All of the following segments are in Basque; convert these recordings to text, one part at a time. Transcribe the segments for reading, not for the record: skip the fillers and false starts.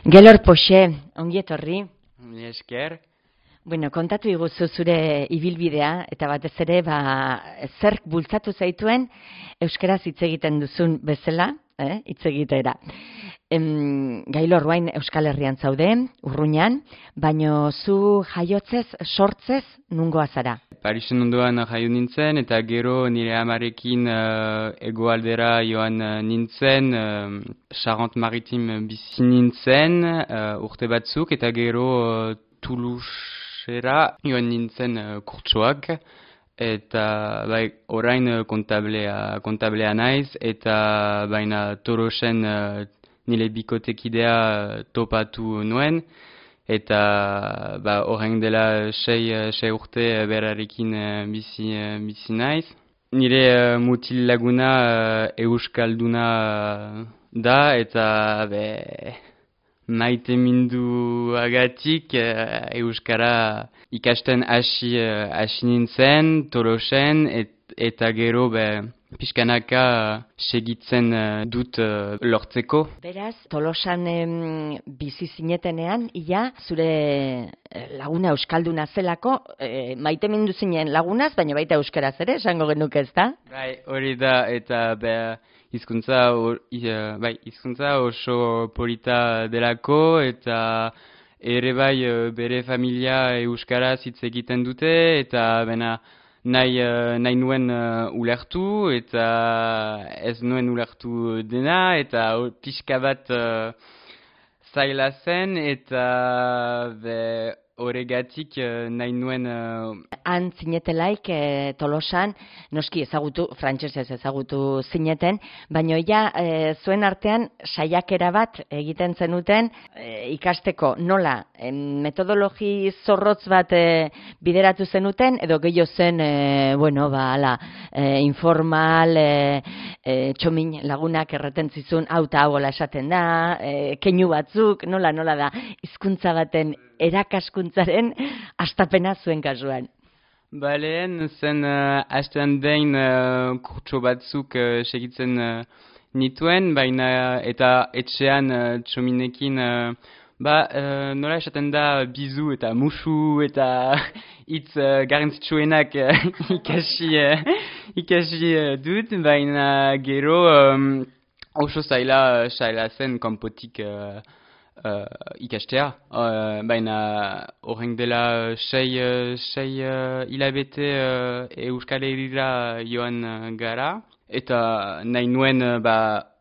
Gelor Poxe, ongi etorri. Mila esker. Bueno, kontatu iguzu zure ibilbidea, eta batez ere, zerk bultzatu zaituen euskaraz hitz egiten duzun bezala, hitz egitera. Gailor, orain Euskal Herrian zaude, Urruñan, baino zu jaiotzez, sortzez, nungoa zara? Parisen ondoan jaio nintzen, eta gero nire amarekin hegoaldera joan nintzen, Charente-Maritime bizi nintzen urte batzuk, eta gero Toulousera joan nintzen kurtsoak, eta orain kontablea naiz, eta baina Tolosen nire bikotekidea topatu nuen, eta horren dela sei urte berarekin bizi naiz. Nire mutil laguna euskalduna da, eta maite minduagatik euskara ikasten hasi nintzen, Tolosen, eta gero pixkanaka segitzen dut lortzeko. Beraz, Tolosan bizi zinetenean, ia zure laguna euskalduna zelako, maite mindu zinen lagunaz, baina baita euskaraz ere, esango genuke, ez da? Bai, hori da, eta hizkuntza oso polita delako, eta ere bere familia euskaraz hitz egiten dute, eta nahi nuen ulertu, eta ez nuen ulertu dena, eta pixka bat zaila zen, eta horregatik nahi nuen... Han zinetelaik Tolosan, noski frantsesez ezagutu zineten, baina zuen artean saiakera bat egiten zenuten ikasteko nola, metodologi zorrotz bat bideratu zenuten, edo gehiago zen, informal, txomin lagunak erreten zizun, hau eta hau esaten da, keinu batzuk, nola da, hizkuntza baten erakaskuntzaren hastapena zuen kasuan. Lehen zen hastean behin kurtso batzuk segitzen nituen, baina eta etxean txominekin nola esaten da bizu eta musu eta hitz garrantzitsuenak ikasi dut, baina gero oso zaila zen kanpotik ikastea, baina horren dela sei hilabete Euskal Herrira joan gara, eta nahi nuen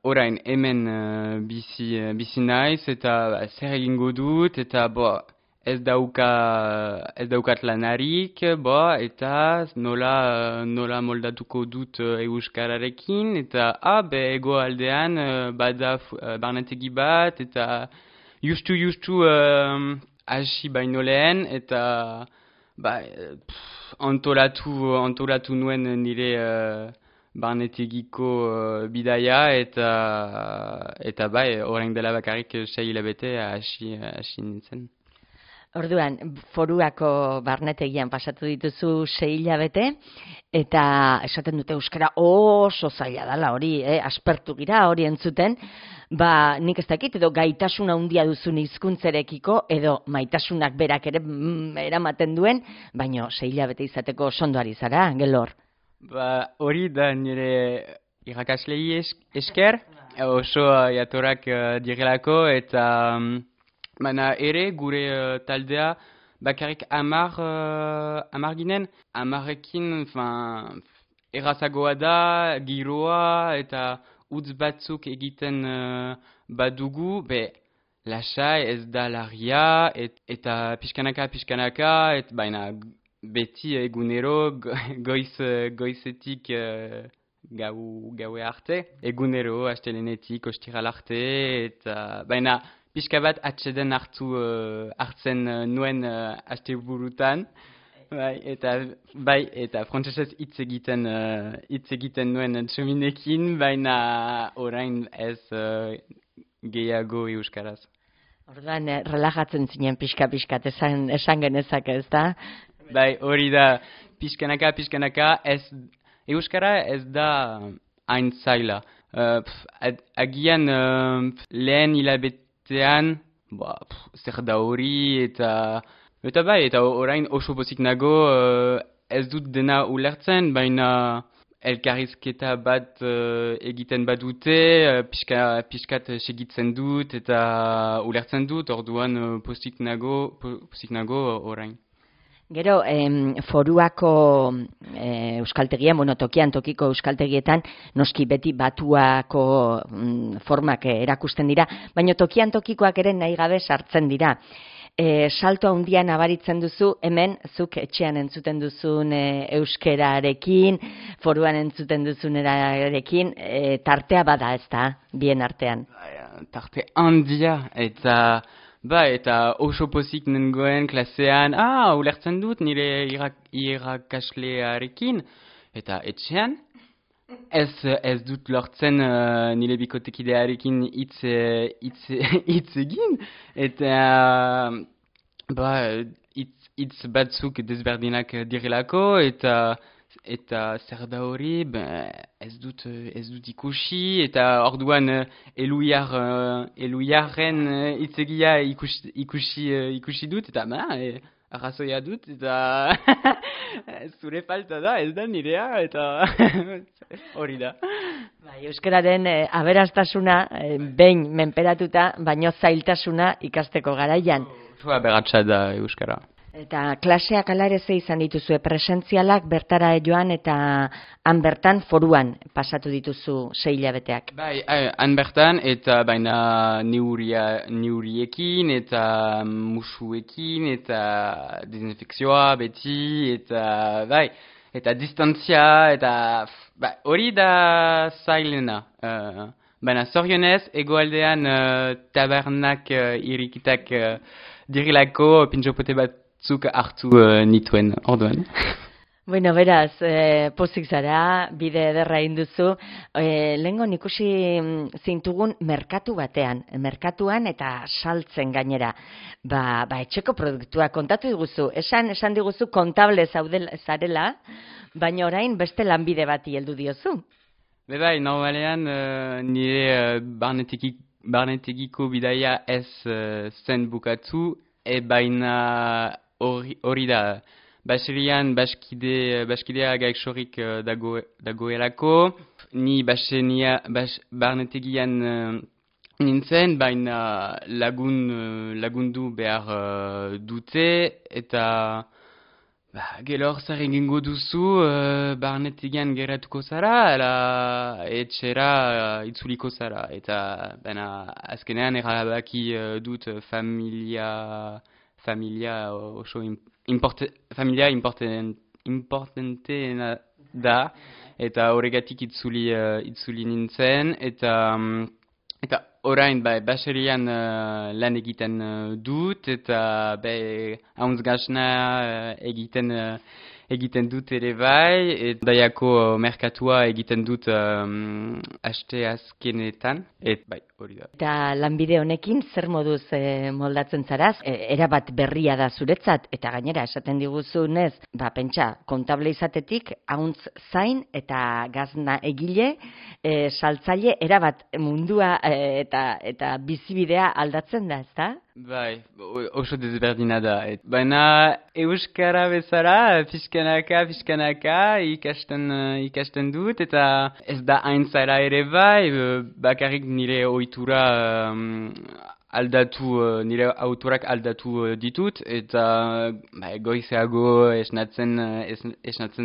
orain hemen bizi naiz, eta zer egingo dut, eta ez daukat lanarik, eta nola moldatuko dut euskararekin, eta ego aldean bada barnetegi bat, eta justu hasi baino lehen, eta antolatu nuen nire barnetegiko bidaia, eta orain dela bakarrik 6 hilabete hasi nintzen. Orduan, Foruako barnetegian pasatu dituzu 6 hilabete, eta esaten dute euskara oso zaila dela hori, aspertu gira hori entzuten, nik ez dakit, edo gaitasun handia duzun hizkuntzarekiko, edo maitasunak berak ere eramaten duen, baino 6 hilabete izateko sondoari zara, Gelor. Hori da nire irakaslei esker, oso jatorak direlako, eta... Baina ere, gure taldea bakarrik 10 ginen, 10ekin errazagoa da, giroa eta utz batzuk egiten badugu, lasai ez da larria, eta pixkanaka, baina beti egunero goizetik gaue arte, egunero astelenetik ostiral arte, eta baina pixka bat atxeden hartzen nuen asteburutan, eta frantsesez hitz egiten nuen txominekin, baina orain ez gehiago euskaraz. Orduan, relajatzen zinen pixka-pixkat esan genezake, ez da? Hori da, pixkanaka, euskara ez da hain zaila. Agian lehen hilabetean zer da hori, eta bai, eta orain oso pozik nago ez dut dena ulertzen, baina elkarrizketa bat egiten badute, pixkat segitzen dut eta ulertzen dut, orduan pozik nago orain. Gero, foruako euskaltegian, tokian tokiko euskaltegietan, noski beti batuako formak erakusten dira, baina tokian tokikoak ere nahi gabe sartzen dira. Salto handian nabaritzen duzu, hemen zuk etxean entzuten duzun euskerarekin, foruan entzuten duzunerarekin, tartea bada ez da, bien artean. Tarte handia, eta oso pozik nengoen klasean, ulertzen dut nire irakaslearekin, eta etxean, ez dut lortzen nire bikotekidearekin hitz egin, eta hitz batzuk desberdinak direlako, eta zer da hori, ez dut ikusi, eta orduan eluiaren hitzegia ikusi dut, eta arrazoia dut, eta zure falta da, ez da nirea, eta hori da. Euskararen aberastasuna behin menperatuta, baino zailtasuna ikasteko garaian. Oso aberatsa da euskara. Eta klaseak ala ere ze izan dituzue, presentzialak bertara joan eta han bertan foruan pasatu dituzu 6 hilabeteak. Bai, han bertan eta baina neuriekin eta musuekin eta desinfekzioa beti eta bai, eta distantzia eta hori da zailena. Baina zorionez, egoaldean tabernak irikitak dirilako pintxopote batzuk hartu nituen orduan. Bueno, beraz, pozik zara, bide ederra induzu. Lehengo ikusi zintugun merkatuan eta saltzen gainera. Etxeko produktua kontatu diguzu. Esan diguzu kontable zarela, baina orain beste lanbide bati heldu diozu. Bai, normalean nire barnetegiko bidaia ez zen bukatu, baina hori da. Baserian baskidea gaixorik dagoelako, ni barnetegian nintzen, baina lagundu behar dute, eta gelor zer egingo duzu barnetegian geratuko zara, ala etxera itzuliko zara, eta azkenean erabaki dut familia oso familia importanteena da, eta horregatik itzuli nintzen, eta orain baserian lan egiten dut, eta hauntzgasna egiten dut ere bai, eta daiako merkatua egiten dut aste azkenetan, eta hori da. Eta lanbide honekin zer moduz moldatzen zaraz, erabat berria da zuretzat, eta gainera esaten diguzunez, pentsa, kontable izatetik, hauntz zain eta gazna egile, saltzaile, erabat mundua eta bizibidea aldatzen da, ezta? Bai, oso desberdina da. Baina euskara bezala, pixkanaka ikasten dut, eta ez da hain zara ere bai, bakarrik nire ohitura nire autorak aldatu ditut, eta goizeago esnatzen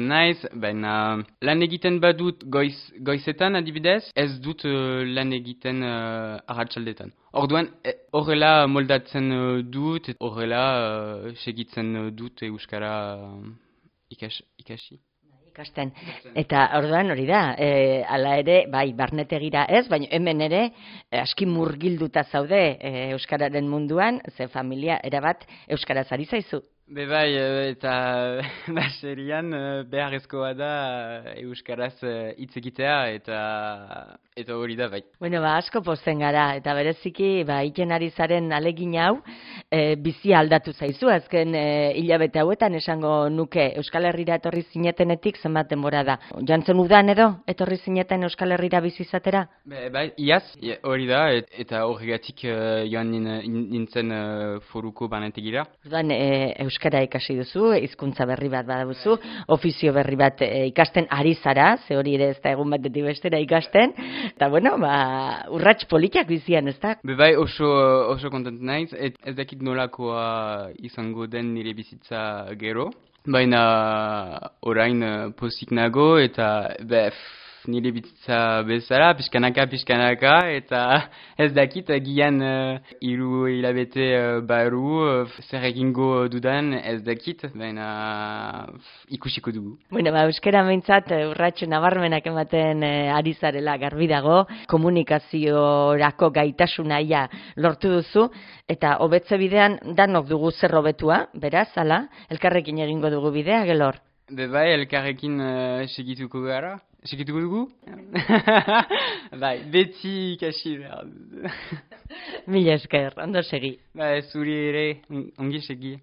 naiz, baina lan egiten badut goizetan adibidez, ez dut lan egiten arratsaldetan. Orduan, horrela moldatzen dut, horrela segitzen dut euskara ikasi. Ikasten. Eta orduan hori da, hala ere, barnetegira ez, baina hemen ere aski murgilduta zaude euskararen munduan, ze familia erabat euskaraz ari zaizu. Bai, eta baserian beharrezkoa da euskaraz hitz egitea, eta hori da bai. Bueno, asko pozten gara, eta bereziki iten ari zaren alegin hau, bizia aldatu zaizu, azken hilabete hauetan esango nuke Euskal Herrira etorri zinetenetik zenbat denbora da. Jantzen udan edo etorri zineten Euskal Herrira bizi izatera? Bai, iaz, hori da, eta horregatik joan nintzen foruko barnetegira. Orduan, euskara ikasi duzu, hizkuntza berri bat badabuzu, ofizio berri bat ikasten ari zara, ze hori ere ez da egun batetik bestera ikasten, eta bueno, urrats politak bizian, ez da? Bai, oso kontent naiz, ez dakit nolakoa izango den nire bizitza gero, baina orain pozik nago eta nire bizitza bezala, pixkanaka, eta ez dakit gian 3 hilabete barru, zer egingo dudan ez dakit, baina ikusiko dugu. Bueno, euskara meintzat urratxo nabarmenak ematen ari zarela garbi dago, komunikaziorako gaitasunaia lortu duzu, eta hobetze bidean danok dugu zer hobetua, beraz, ala, elkarrekin egingo dugu bidea, Gelor? Bai, elkarrekin segituko gara. Segituko dugu? Bai, beti ikasi behar. Mila esker, ondo segi. Bai, zuri ere, ongi segi.